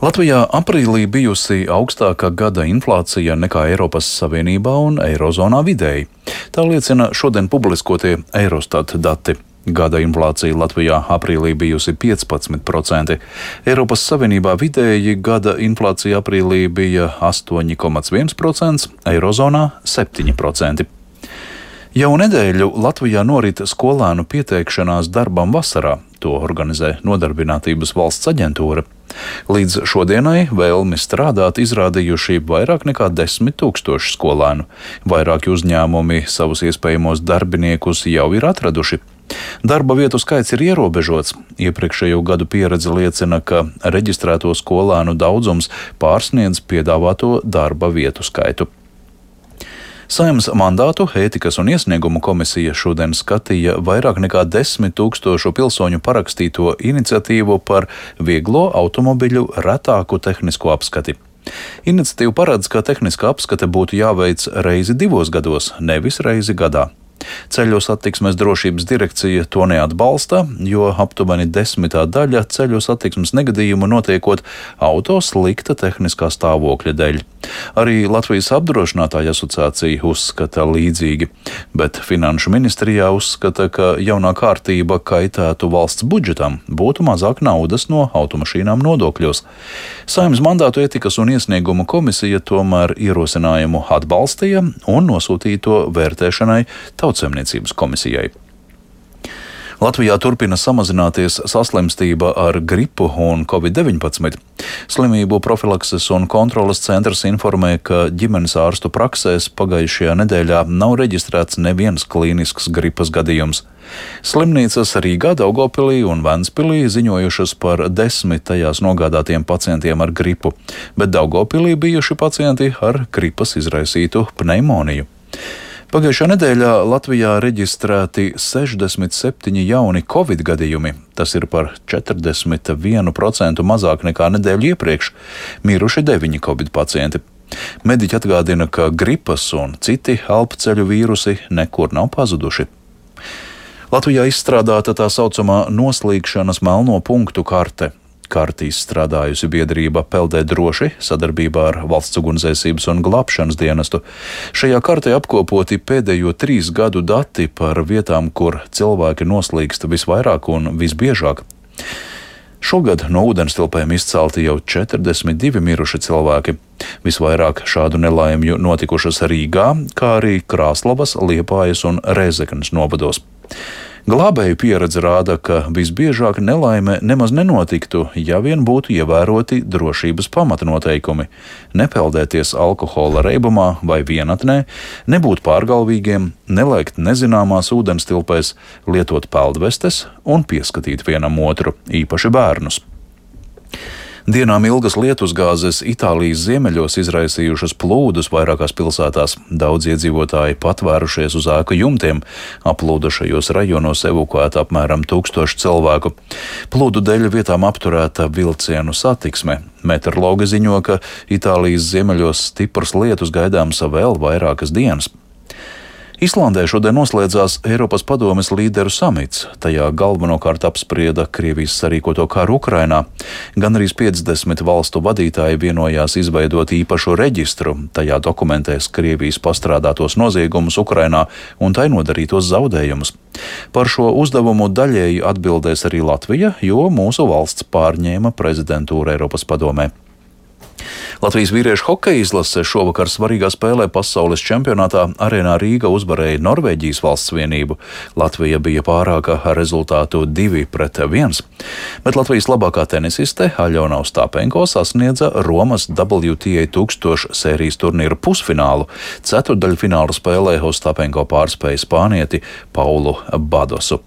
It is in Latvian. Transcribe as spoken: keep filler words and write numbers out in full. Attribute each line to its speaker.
Speaker 1: Latvijā aprīlī bijusi augstākā gada inflācija nekā Eiropas Savienībā un Eirozonā vidēji. Tā liecina šodien publiskotie Eurostat dati. Gada inflācija Latvijā aprīlī bijusi piecpadsmit procenti. Eiropas Savienībā vidēji gada inflācija aprīlī bija astoņi komats viens procents, Eirozonā septiņi procenti. Jau nedēļu Latvijā norit skolēnu pieteikšanās darbam vasarā. To organizē Nodarbinātības valsts aģentūra. Līdz šodienai vēlmi strādāt izrādījuši vairāk nekā desmit tūkstoši skolēnu. Vairāki uzņēmumi savus iespējamos darbiniekus jau ir atraduši. Darba vietu skaits ir ierobežots. Iepriekšējo gadu pieredze liecina, ka reģistrēto skolēnu daudzums pārsniedz piedāvāto darba vietu skaitu. Saeimas mandātu ētikas un iesniegumu komisija šodien skatīja vairāk nekā desmit tūkstošu pilsoņu parakstīto iniciatīvu par vieglo automobiļu retāku tehnisko apskati. Iniciatīva paredz, ka tehniskā apskate būtu jāveic reizi divos gados, nevis reizi gadā. Ceļu satiksmes drošības direkcija to neatbalsta, jo aptuveni desmitā daļa ceļu satiksmes negadījumu notiekot auto slikta tehniskā stāvokļa dēļ. Arī Latvijas apdrošinātāju asociācija uzskata līdzīgi, bet Finanšu ministrijā uzskata, ka jaunā kārtība kaitētu valsts budžetam, būtu mazāk naudas no automašīnām nodokļos. Saeimas mandātu ētikas un iesniegumu komisija tomēr ierosinājumu atbalstīja un nosūtīja to vērtēšanai Tautsaimniecības komisijai. Latvijā turpina samazināties saslimstība ar gripu un covid deviņpadsmit. Slimību profilakses un kontroles centrs informē, ka ģimenes ārstu praksēs pagājušajā nedēļā nav reģistrēts neviens klīnisks gripas gadījums. Slimnīcas Rīgā, Daugavpilī un Ventspilī ziņojušas par desmit tajās nogādātiem pacientiem ar gripu, bet Daugavpilī bijuši pacienti ar gripas izraisītu pneimoniju. Pagājušā nedēļā Latvijā reģistrēti sešdesmit septiņi jauni covid gadījumi. Tas ir par četrdesmit vienu procentu mazāk nekā nedēļu iepriekš. Miruši deviņi covid pacienti. Mediķi atgādina, ka gripas un citi elpceļu vīrusi nekur nav pazuduši. Latvijā izstrādāta tā saucamā noslīgšanas melno punktu karte. Karti izstrādājusi biedrība Peldē droši sadarbībā ar Valsts ugunsdzēsības un glābšanas dienestu. Šajā kartē apkopoti pēdējo trīs gadu dati par vietām, kur cilvēki noslīgst visvairāk un visbiežāk. Šogad no ūdenstilpēm izcelti jau četrdesmit divi miruši cilvēki. Visvairāk šādu nelaimju notikušas Rīgā, kā arī Krāslavas, Liepājas un Rēzeknes novados. Glābēju pieredze rāda, ka visbiežāk nelaime nemaz nenotiktu, ja vien būtu ievēroti drošības pamatnoteikumi. Nepeldēties alkohola reibumā vai vienatnē, nebūt pārgalvīgiem, nelēkt nezināmās ūdenstilpēs, lietot peldvestes un pieskatīt vienam otru, īpaši bērnus. Dienām ilgas lietusgāzes Itālijas ziemeļos izraisījušas plūdus vairākās pilsētās. Daudz iedzīvotāji patvērušies uz ēku jumtiem. Aplūdušajos rajonos evakuēta apmēram tūkstoši cilvēku. Plūdu dēļ vietām apturēta vilcienu satiksme. Meteorologi ziņo, ka Itālijas ziemeļos stiprs lietus gaidāms vēl vairākas dienas. Islandē šodien noslēdzās Eiropas padomes līderu samits. Tajā galvenokārt apsprieda Krievijas sarīkoto karu Ukrainā. Gan arī piecdesmit valstu vadītāji vienojās izveidot īpašu reģistru. Tajā dokumentēs Krievijas pastrādātos noziegumus Ukrainā un tai nodarītos zaudējumus. Par šo uzdevumu daļēji atbildēs arī Latvija, jo mūsu valsts pārņēma prezidentūru Eiropas padomē. Latvijas vīriešu hokeja izlase šovakar svarīgā spēlē pasaules čempionātā Arēnā Rīga uzvarēja Norvēģijas valsts vienību. Latvija bija pārāka ar rezultātu divi pret viens, bet Latvijas labākā tenisiste Aļona Ostāpenko sasniedza Romas W T A tūkstoš sērijas turnīra pusfinālu. Ceturtdaļfināla spēlē Ostāpenko pārspēja spānieti Paulu Badosu.